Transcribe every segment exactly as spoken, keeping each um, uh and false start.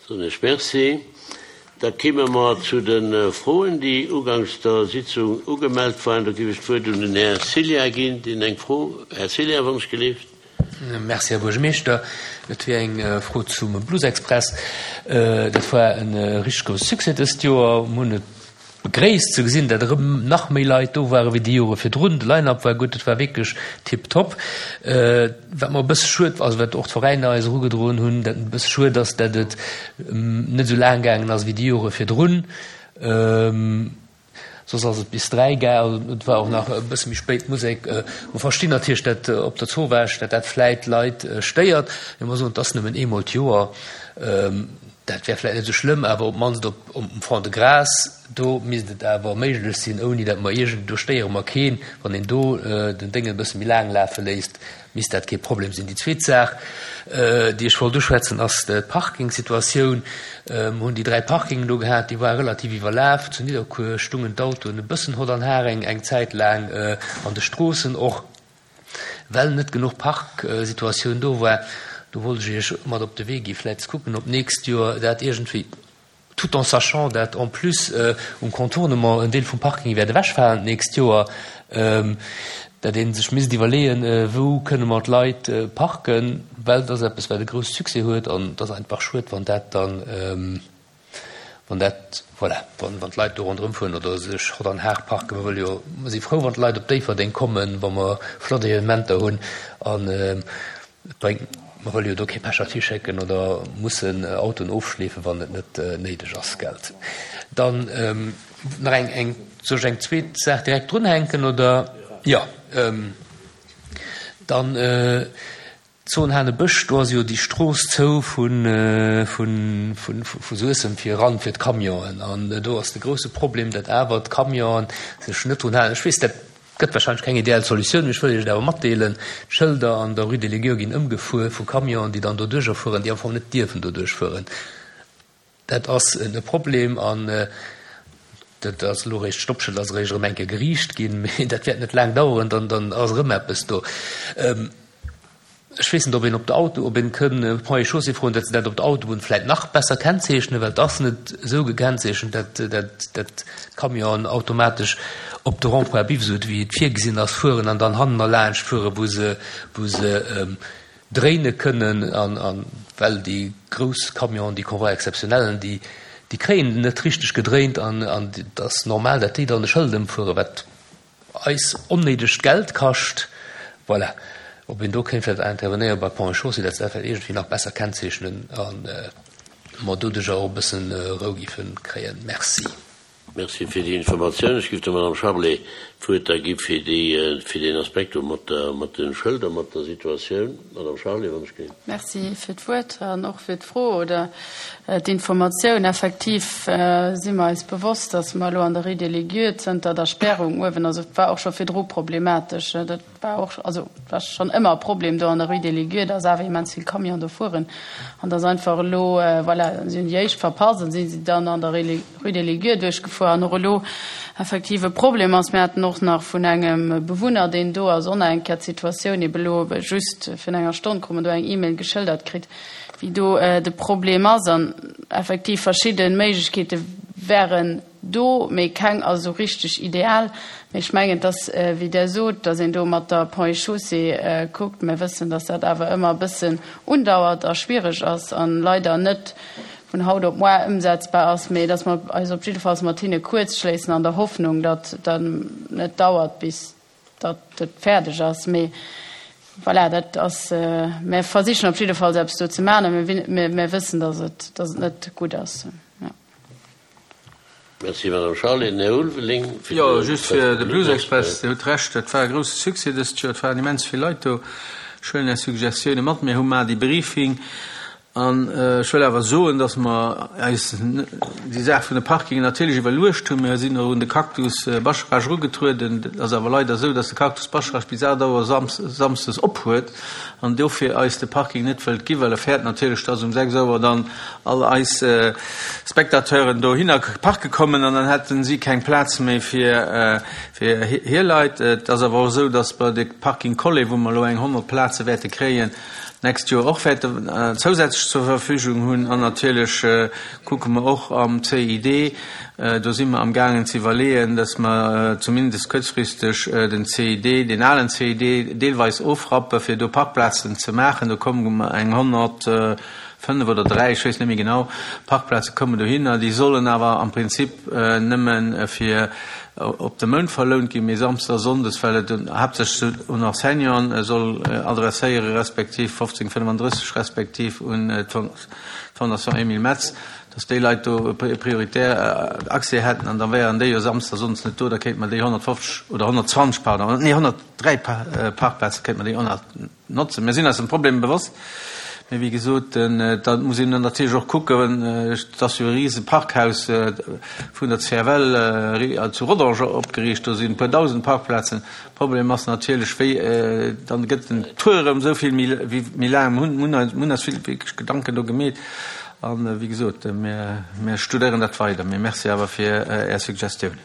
Soen ech Merci. Da kimme mer zu de Froen, déi uganks der Sitzung ugemellt waren. Do géif ech d'Wuert un den Här Cillien ginn, deen eng Fro. Här Cillien, wann ech gelift. Merci, Här Buergermeeschter. Et wier eng Fro zum Blues Express. Dat war e richteg grousse Succès dëst Joer. Mir hunn et begréisst ze gesinn, datt erëm nach méi Leit do ware wéi déi Jore virdrun. De Line-up war gutt, et war wierklech tiptop. Wat mer e bësse schued, also wat och d'Veräiner eis erugedroen hunn, dat e bësse schued ass, datt et net esou laang gaangen ass wéi déi Jore virdrun. Soss ass et bis dräi gaang, also et war och nach e bësse méi spéit d'Musek. Mer verstinn natierlech, datt op der Zowaasch, datt dat vläit Leit stéiert, mee mer soen, et ass nëmmen eemol d'Joer. Dat wär vläit net esou schlëmm, awer op d'mannst op um Fond-de-Gras, do misst et awer méiglech sinn, ouni datt mer iergend, do stéiere mer keen, wann een do den Déngen e bësse méi laang lafe léisst, misst dat kee Problem sinn. Déi zweet Saach, déi ech wollt uschwätzen, ass d'Parkingsituatioun. Mer hunn déi dräi Parkingen do gehat, déi ware relativ iwwerlaf. Zu Nidderkuer stungen d'Autoen e bëssen hott an har eng Zäit laang an de Stroossen och. Well net genuch Parksituatioun do war, do wollt ech Iech mat op de Wee gi vläicht ze kucken, ob d'nächst Joer dat iergendwéi, tout en sachant dat en plus um Contournement en Deel vum Parking wäert ewechfalen d'nächst Joer, dat ee sech misst iwwerleeën, wou kënne mer d'Leit parken, well dat ass eppes, wat e grousse Succès huet an et ass einfach schued, wann dat dann, Wann dat, voilà, wann, wann d'Leit do ronderëm fueren oder sech hott an har parken, mer wëlle jo, mer si frou, wann d'Leit op Déifferdeng kommen, wa mer flott Evenementer hunn an et bréngt, mer wëlle jo do kee Pechert hischécken oder mussen Autoen ofschleefen, wann et net néideg ass, gelt. Dann nach eng, eng, soll ech eng zweet Saach direkt drunhänken oder? Jo, dann. Zon Hanebësch, do ass jo déi Strooss zou vu Suessem fir eran fir d'Camionen. An do ass de grousse Problem, datt awer d'Camionen sech net drun halen. Ech weess, dat gëtt warscheinlech keng ideal Solutioun, mee ech wëll Iech et awer matdeelen, D'Schëlder an der Rue des Légueurs ginn ëmgefuer vu Camionen, déi dann doduercher fueren, déi am Fong net dierfen doduerch fueren. Dat ass e Problem an dat ass elo eréischt, d'Stoppschëld ass eréischt erëm eng Kéier geriicht ginn, mee dat wäert net laang daueren, dann ass erëm eppes do. Ech weess net, ob een op der Auto, ob een kënn Ponts et Chaussées froen, datt se dat op der Autobunn vläit nach besser kennzeechnen, well et ass net esou gekennzeechent, datt, datt, datt d'Camionen automatesch op de Rond-point Biff, esou wéi et virgesinn ass, fueren an dann hannen erlaanscht fueren, wou se, wou se dréine kënnen. An, an well déi grouss Camionen, déi Convois exceptionnellen, déi, déi kréien net richteg gedréint an, an et ass normal, datt déi dann e Schëld ëmfueren, wat eis onnéidegt Geld kascht. Voilà. Ob een do kéint vläicht intervenéiere bei Ponts et Chaussées, datt se dat vläicht iergendwéi nach besser kennzeechnen a mer doduercher och e bëssen Rou géife kréien. Merci. Merci fir déi Informatioun. Ech géif der Madame Charlé d'Wuert da gi fir déi, fir deen Aspekt do mat der, mat de Schëlder, mat der Situatioun. Madame Charlé, wann ech géif. Merci fir d'Wuert an och fir d'Fro oder d'Informatioun. Effektiv si mer eis bewosst, datt mer elo an der Rue des Légues zënter der Spärung uewen, also et war och scho virdru problematesch, dat war och, also et war schonn ëmmer e Problem do an der Rue des Légues, datt awer immens vill Camionen do fueren an datt einfach elo, voilà, si hunn déi éischt verpasst an si si dann an der Rue des Légues duerchgefuer an och elo effektiv e Problem ass. Mir haten och nach vun engem Bewunner, deen do ass, och nach eng Kéier d'Situatioun ebe elo just virun enger Stonn krut mer do eng E-Mail geschëldert kritt, wéi do de Problem ass an effektiv verschidde Méiglechkeete wären do, mee keng ass esou richteg ideal. Mee ech mengen, et ass, wéi Der sot, datt een do mat der Ponts et Chaussées kuckt. Mir wëssen, datt dat awer ëmmer e bëssen undauert a schwiereg ass a leider net vun haut op moar ëmsetzbar ass, mee datt mer eis op jiddefalls mat hinne kuerzschléissen an der Hoffnung, datt et dann net dauert, bis datt et fäerdeg ass. Mee voilà, dat ass, mir versichen op jiddefalls eppes do ze maachen a mir, mir wëssen, datt et, datt et net gutt ass. Jo. Merci, Madame Charlé. Den Här Ulveling fir Jo, de just fir de Blues Express. Dir hutt Recht, dat war e grousse Succès dëst Joer. Et waren immens vill Leit do. Ech huelen Är Suggestioune mat. Mir hu mar dee Briefing. An ech wëll awer soen, dass mer eis déi Saach vun de Parkingen natierlech iwwerluecht hunn. Mir sinn och un de Cactus Bascharage erugetrueden. Et ass awer leider esou, dass de Cactus Bascharage bis aacht Auer samsdes op huet an dofir eis de Parking net wëllt ginn, well e fäert natierlech, dass um sechs Auer dann all eis Spectateuren dohinner parke kommen an dann hätten si keng Plaz méi fir hir Leit. Et ass awer och esou, dass bei de Parking Collé, wou mer elo eng honnert Plaze wäerte kréien, d'nächst Joer och wäerten zousätzlech zur Verfügung hunn. An natierlech kucke mer och am C I D, do si mer amgaangen ze iwwerleeën, dass mer zumindest kuerzfristeg den C I D, deen alen C I D deelweis ofrappen, fir do Parkplazen ze maachen. Do kommen eng honnertfënnef oder dräi, ech weess net méi genau, Parkplaze kommen dohinner. Déi sollen awer am Prinzip nëmme fir op de Mount verlount ginn, mee samsdes a sonndes, well et haaptsächlech un Enseignanten soll adresséieren, respektiv fofzéng fënnefandrësseg, respektiv un d'Fondation Emile Metz, dass déi Leit do prioritär Accès hätten. An da wären déi jo samsdes a sonndes net do, da kéinte mer déi honnertfofzeg oder honnertzwanzeg, pardon, nee, honnertdräi Parkplaze kéinte mer déi och nach notzen. Mir sinn eis dem Problem bewosst. Mee wéi gesot, da muss een natierlech och kucken, et ass jo e rise Parkhaus vun der C F L zu Rodange opgeriicht, do sinn e puer dausend Parkplazen. Problem ass natierlech, wéi dann gëtt den Tour erëm esou vill méi laang. Mir hunn eis vill wierklech Gedanken do gemeet an, wéi gesot, mir studéieren dat weider. Mee merci awer fir Är Suggestiounen.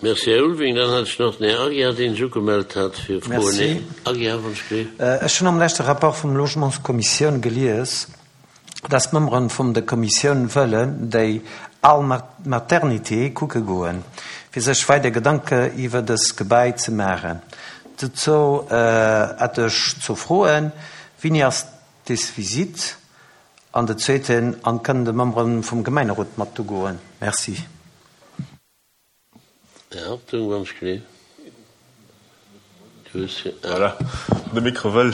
Merci, Här Ulveling. Dann hat ech nach den Här Aguiar, dee sech ugemellt hat fir Froen. Här Aguiar, wann ech gleef. Ech hunn am leschte Rapport vum Logementskommissioun gelies, dass d'Memberen vum der Kommissioun wëllen déi al Maternité kucke goen, fir sech weider Gedanke iwwer dës Gebai ze maachen. Dozou hätt ech zwou Froen: Wéini ass des Visite? An de zweeten, an kënnen de Membere vum Gemengerot mat do goen? Merci. Här Hartung, wann ech gleef. Du hues. Voilà, de Mikro wëll.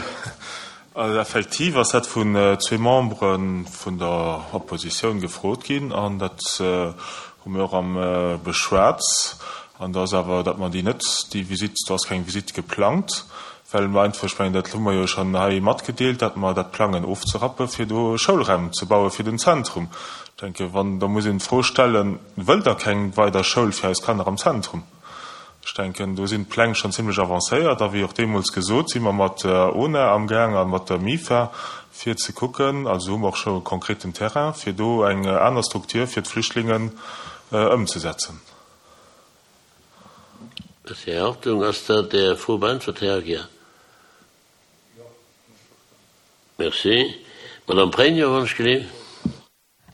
Also effektiv ass dat vun zwee Membere vun der Oppositioun gefrot ginn an dat hu mir och am beschwat. An do ass awer, datt mer déi net, déi Visitt, do ass keng Visitt geplangt, well mer einfach, ech mengen, dat hu mer jo schonn hei matgedeelt, datt mer dat plangen ofzerappe fir do Schoulraim ze baue fir den Zentrum. Ech denke wann, da muss een d'Fro stellen, wëllt Der keng weider Schoul fir eis Kanner am Zentrum? Ech denken, do sinn d'Pläng schonn zimlech avancéiert a wéi och deemools gesot, si mer mat der O N A amgaang a mat der M I F A fir ze kucken, also hu mer och scho e konkreten Terrain, fir do eng aner Struktur fir d'Flüchtlingen ëmzesetzen. Merci, Här Hartung. Ass dat Är Fro beäntwert, Här Aguiar? Merci. Madame Pregno, wann ech gleef.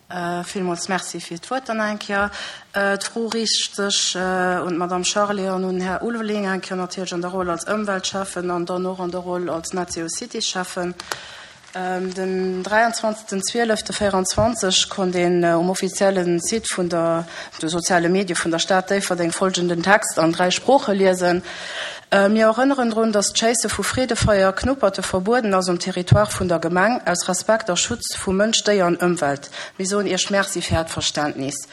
Villmools Merci fir d'Wuert dann eng Kéier. D'Fro riicht sech un d'Madame Charlé an un den Här Ulveling, eng Kéier natierlech an der Roll als Ëmweltschäffen an dann och an der Roll als NetZeroCity-Schäffen. Den dräianzwanzegsten zwielefte véierundzwanzeg konnt een um offizielle Site vun der de soziale Medie vun der Stad Déifferdeng folgenden Text an dräi Sprooche liesen: Mir erënneren drun, dass d'Schéisse vu Freedefeier Knupperte verbueden ass um Territoire vun der Gemeng, aus Respekt a Schutz vu Mënsch, Déier an Ëmwelt. Mir soen Iech Merci fir Äert Verständnis.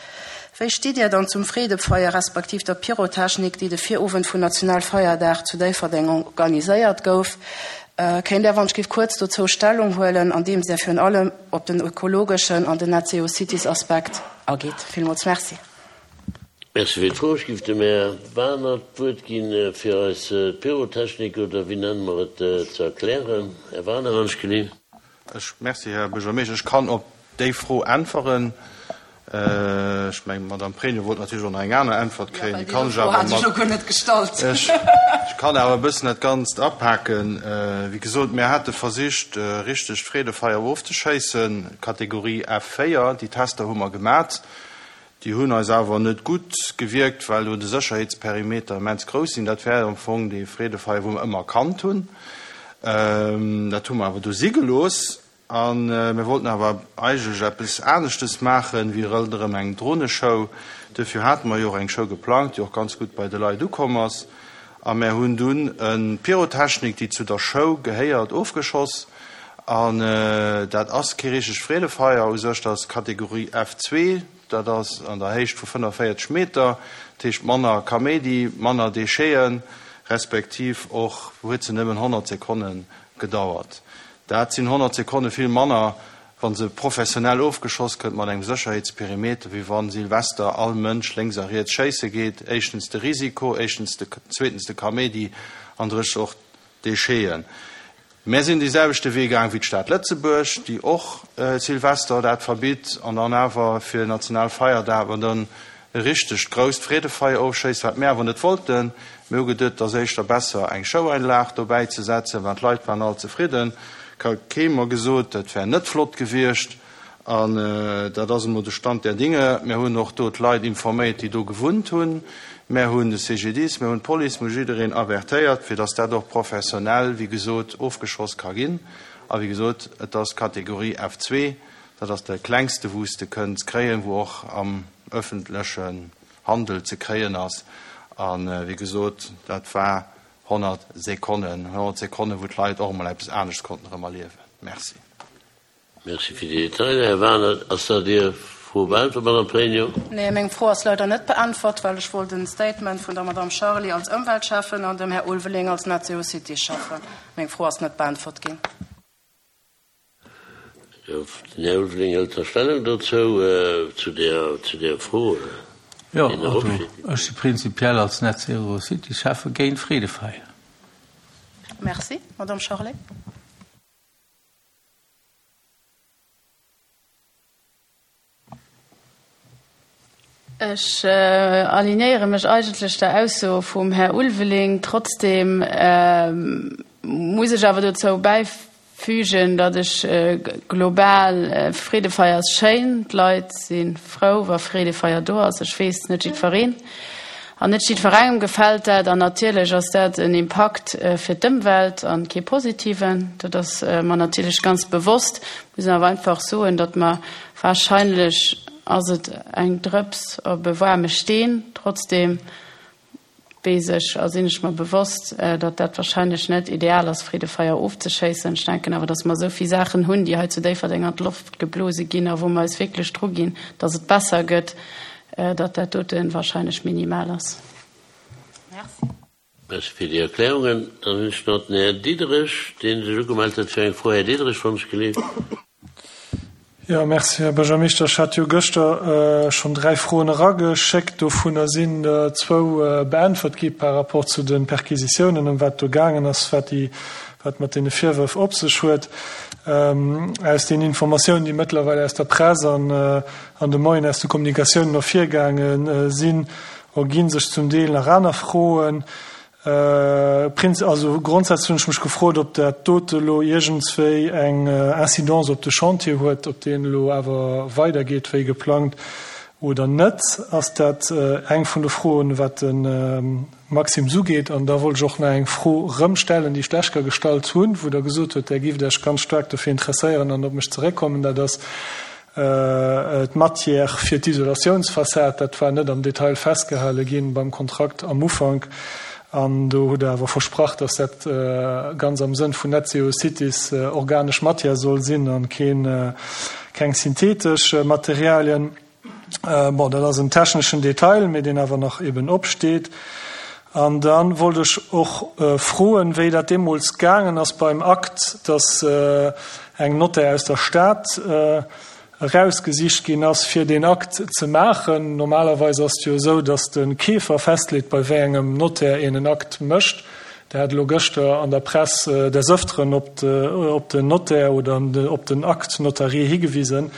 Wéi stitt Dir dann zum Freedefeier respektiv der Pyrotechnik, déi de Virowend vun Nationalfeierdag zu Déifferdeng organiséiert gouf? Kéint Där wann ech géif kuerz dozou Stellung huelen, andeems Där virun allem op den ökologeschen an den NetZeroCities-Aspekt ageet? Villmools Merci. Merci fir d'Fro. Ech géif dem Här Wagener d'Wuert ginn, fir eis d'Pyrotechnik, oder wéi nenne mer et, ze erklären. Här Wagener, wann ech geleef. Ech, merci, Här Buergermeeschter. Ech kann op déi Fro äntweren. Ech mengen, d'Madame Pregno wollt natierlech och nach eng aner Äntwert kréien. Déi kann ech awer mat. Ech, ech kann awer e bëssen dat Ganzt apaken. Wéi gesot, mir hate versicht, richteg Freedefeier ofzeschéissen, Kategorie F véier. Déi Tester hu mer gemat. Déi hunn eis awer net gutt gewierkt, well do de Sécherheetsperimeter immens grouss sinn. Dat wär am Fong dee Freedefeier, wou mer ëmmer kannt hunn. Dat hu mer awer do si gelooss. A mir wollten awer eigentlech eppes aneschtes maachen, wéi ronderëm eng Droneshow. Duerfir hate mer jo och eng Show geplangt, déi och ganz gutt bei de Leit ukomm ass. A mir hunn dunn e Pyrotechnik, déi zu der Show gehéiert, ofgeschoss. An dat ass kee richtegt Freedefeier u sech, dat ass Kategorie F zwee. Dat ass an der Héicht vu fënnefenvéierzeg Meter, dat heescht manner Kaméidi, manner Décheten, respektiv och huet se nëmmen honnert Sekonne gedauert. Dat sinn honnert Sekonne vill manner, wa se professionell ofgeschoss gëtt mat engem Sécherheetsperimeter, wéi wa Silvester all Mënsch lénks a riets schéisse geet. Éischtens de Risiko, éischtens de, zweetens de Kaméidi an drëttens och d'Décheten. Mär sinn dee selwechte Wee gaang wéi d'Stad Lëtzebuerg, déi och Silvester dat verbitt an dann awer fir Nationalfeierdag awer dann e richtegt grousst Freedefeier ofschéisst, wat mär awer net wollten. Mir hu geduet, et ass éischter besser eng Showeinlag dobäi ze setzen, well d'Leit waren all zefridden. Huet kee mer gesot, dat wär net flott gewiescht. An dat ass emol de Stand der Dinge. Mir hunn och do d'Leit informéiert, déi do gewunnt hunn. Mir hunn de C G D I S, mir hunn d'Police, mir hu jiddereen avertéiert, fir datt dat och professionell, wéi gesot, ofgeschoss ka ginn. A wéi gesot, et ass Kategorie F zwee, dat ass de klengste, wou s de kënns kréien, wou och am ëffentlechen Handel ze kréien ass. A wéi gesot, dat war honnert Sekonnen, honnert Sekonnen, wou d'Leit och emol eppes anescht konnten erëm erliewen. Merci. Merci fir déi Detailer, Här Wagener. Ass dat Är Fro beäntwert, Madame Pregno? Nee, meng Fro ass leider net beäntwert, well ech wollt en Statement vun der Madame Charly als Ëmweltschäffen an dem Här Ulveling als Net-Zero-City-Schäffen. Meng Fro ass net beäntwert ginn. Den Här Ulveling hëlt da Stellung dozou, zu där, zu där Fro. Jo, also ech si prinzipiell als Net-Zero-City-Schäffe géint Freedefeier. Merci. Madame Charly. Ech alignéiere mech eigentlech der Ausso vum Här Ulveling. Trotzdem muss ech awer dozou bäifügen, datt ech global, Freedefeier ass schéin, d'Leit si frou, wa Freedefeier do ass. Ech weess, net jiddwereen an net jiddwerengem gefält dat. An natierlech ass dat en Impakt fir d'Ëmwelt an kee positiven. Dat ass mer natierlech ganz bewosst. Muss awer einfach soen, datt mer wahrscheinlech ass et eng Drëps op e waarme Steen. Trotzdem weess ech a sinn ech mer bewosst, datt dat wahrscheinlech net ideal ass, Freedefeier ofzeschéissen. Ech denken awer, datt mer esou vill Saachen hunn, déi hei zu Déifferdeng an d'Loft geblose ginn a wou mer eis wierklech dru ginn, datt et besser gëtt, datt dat dote wahrscheinlech minimal ass. Merci. Merci fir déi Erklärungen. Dann hunn ech nach den Här Diderich, dee sech ugemellt huet fir eng Fro. Här Diderich, wann ech geleeft. Jo, merci, Här Buergermeeschter. Ech hat jo gëschter schonn dräi Froen erageschéckt. Dovunner sinn der zwou beäntwert gi par rapport zu de Perquisitiounen, ëm wat do gaangen ass, wat déi, wat mat deene Virwërf op sech huet. Aus den Informatiounen, déi mëttlerweil aus der Press an an de Moien aus de Kommunikatiounen ervirgaange sinn, ergi sech zum Deel nach aner Froen. Prinz, also grondsätzlech hunn ech mech gefrot, ob dat dote elo iergendswéi eng Incidence op de Chantier huet, ob deen elo awer weidergeet wéi geplangt oder net. Ass dat eng vun de Froen, wat de Maxime ugeet? An da wollt ech och nach eng Fro erëm stellen, déi ech lech scho gestallt hunn, wou Der gesot hutt, Der gift Iech ganz staark dofir interesséieren an op mech zeréckkommen. Dat ass d'Matière fir d'Isolatiounsfassad. Dat war net am Detail festgehale ginn beim Kontrakt am Ufank. An do hutt Der awer versprach, dass dat ganz am Sënn vun Net Zero Cities organesch Matière soll sinn an keen, keng synthetesch Materialien. Bon, dat ass en techneschen Detail, mee deen awer nach eben opsteet. An da wollt ech och froen, wéi dat deemools gaangen ass beim Akt, dass eng Notaire aus der Stad erausgesicht ginn ass, fir deen Akt ze maachen. Normalerweis ass et jo esou, dass de Keefer festleet, bei wéi engem Notaire een en Akt mécht. Der hat elo gëschter an der Press des Ëfteren op op den Notaire oder op den Acte notarié higewisen.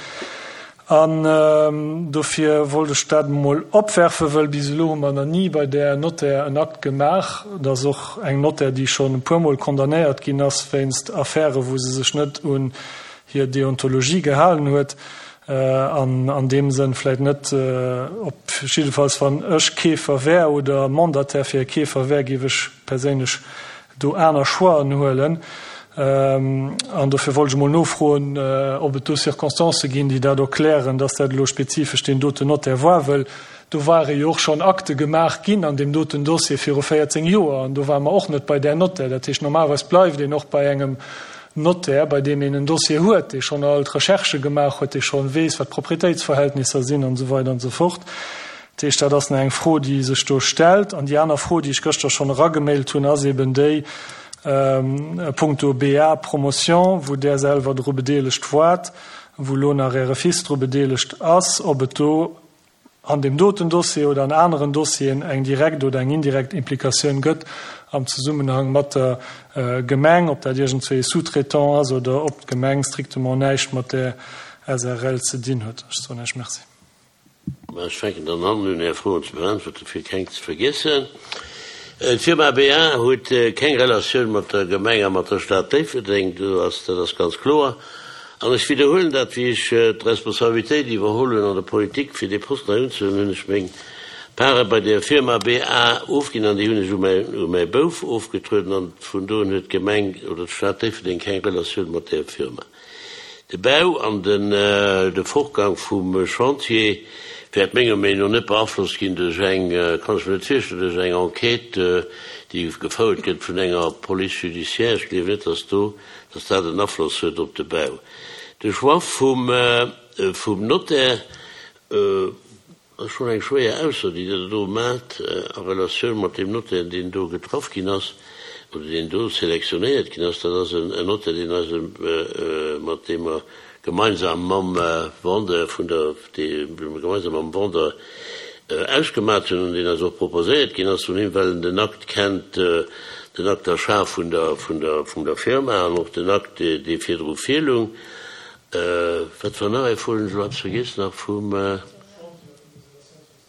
An dofir wollt ech dat emol opwerfen, wëll bis elo hu mer nach ni bei där Notaire en Akt gemaach. Dat ass och eng Notaire, déi schonn e puermol condamnéiert ginn ass wéinst Affären, wou se sech net un hir Deontologie gehalen huet. An an deem Sënn vläicht net, op jiddefalls wann ech Keefer wär oder Mandataire fir e Keefer wär, géif ech perséinlech do aner Choixen huelen. An dofir wollt ech emol nofroen, ob et do Circonstancë ginn, déi dat erklären, dass dat elo spezifesch deen doten Notaire war, wëll do ware jo och schonn Akte gemaach ginn an deem doten Dossier viru véierzéng Joer an do ware mer och net bei där Notaire. Dat heescht, normalerweis bleift een och bei engem Notaire, bei deem een en Dossier huet, dee schonn all d'Recherchë gemaach huet, dee schonn weess, wat d'Proprietéitsverhältnisser sinn an esou weider an esou fort. Dat heescht, dat ass nach eng Fro, déi sech do stellt. An déi aner Fro, déi ech gëschter schonn eragemailt hunn, ass eben déi punkto B A Promotion, wou Der selwer dru bedeelegt waart, wou elo nach Äre Fils dru bedeelegt ass, ob et do an deem doten Dossier oder an aneren Dossieren eng direkt oder eng indirekt Implikatioun gëtt am Zesummenhang mat der Gemeng, ob dat iergendzwéi e Sous-traitant ass oder ob d'Gemeng strictement näischt mat där S R L ze dinn huet. Ech soen Iech Merci. Mä ech fänken dann an, un Är Froen ze beäntwerten, fir keng ze vergiessen. D'Firma BA huet keng Relatioun mat der Gemeng a mat der Stad Déifferdeng, do ass, dat ass ganz kloer. An ech widderhuelen dat, wéi ech d'Responsabilitéit iwwerholl hunn an der Politik, fir dee Posten hei unzehuelen, hunn ech meng Pare bei der Firma BA ofginn an déi hunn ech u mäi, u mäi Bouf ofgetrueden an vun do un huet d'Gemeng oder d'Stad Déifferdeng keng Relatioun mat där Firma. De Bau an den, de Fortgang vum Chantier wäert menger Meenung no net beaflosst ginn duerch eng, kann ech mir net virstellen, duerch eng Enquête, déi gefouert gëtt vun enger Police judiciaire. Ech gleewen net, dass do, dass dat en Afloss huet op de Bau. De Choix vum, vum Notaire ass schonn eng schwéier Ausso, déi Der do maacht a Relatioun mat deem Notaire, deen do getraff ginn ass oder deen do selektionéiert ginn ass. Dat ass en Notaire, deen eise, mat deem mer gemeinsam mam Vendeur vun der, dee mer gemeinsam mam Vendeur ausgemat hunn an deen eis och proposéiert ginn ass vun him, well en den Akt kennt, den Acte d'achat vun der, vun der, vun der Firma an och den Akt, dee virdru virlung. Wat war nach eng Fro? Hunn ech elo eppes vergiess nach vum.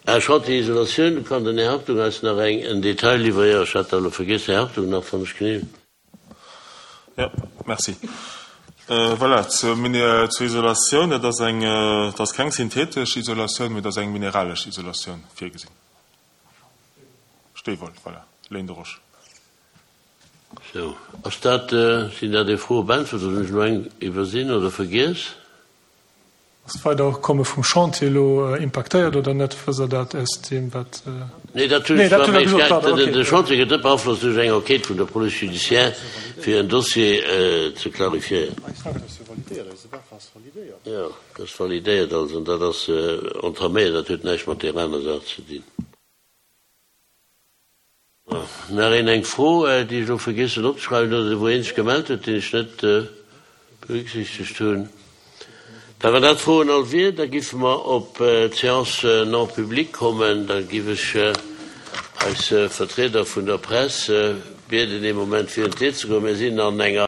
Ah, Chantier Isolatioun, do kann den Här Hartung eis nach eng, en Detail liwweren. Jo, ech hat dat elo vergiess. Här Hartung nach, wann ech genee. Jo, merci. Voilà, zur Isolatioun, dat ass eng, dat ass keng synthetesch Isolatioun, mee dat ass eng mineralesch Isolatioun virgesinn. Steewoll, voilà, Laine de roche. Sou, ass dat, sinn dat déi Froe beäntwert oder hunn ech elo eng iwwersinn oder vergiess? Ass d'Weiderkomme vum Chantier elo impaktéiert oder net? Wësst Der dat aus deem, wat. Nee, dat hunn ech zwar, mee ech, de Chantier gëtt net beaflosst duerch eng Enquête vun der Police judiciaire, fir en Dossier ze clarifiéieren. Jo, dat ass validéiert also, an dat ass entaméiert, dat huet näischt mat där aner Saach ze dinn. Nach een eng Fro, déi ech elo vergiess hunn opzeschreiwen oder wou ee sech gemellt huet, deen ech net berücksichtegt hunn. Da wann dat d'Froen all wier, da giffe mer op d'Séance non publique kommen. Da giff ech eis Vertrieder vun der Press bieden, ee Moment virun d'Dier ze goen. Mir sinn an enger.